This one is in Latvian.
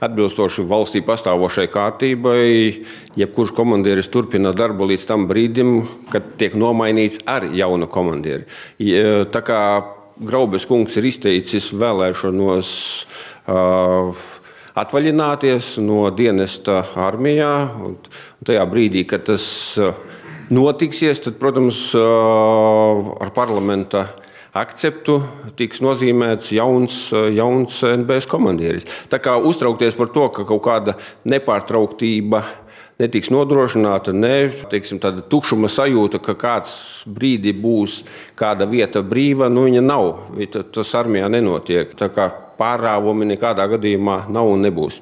atbilstoši valstī pastāvošai kārtībai, jebkurš komandieris turpina darbu līdz tam brīdim, kad tiek nomainīts ar jaunu komandieri. Tā kā Graubes kungs ir izteicis vēlēšanos atvaļināties no dienesta armijā, un tajā brīdī, kad tas notiksies, tad, protams, ar parlamenta akceptu tiks nozīmēts jauns NBS komandieris. Tā kā uztraukties par to, ka kaut kāda nepārtrauktība netiks nodrošināta, tāda tukšuma sajūta, ka kāds brīdi būs kāda vieta brīva, viņa nav. Tas armijā nenotiek. Tā kā pārāvumi nekādā gadījumā nav un nebūs.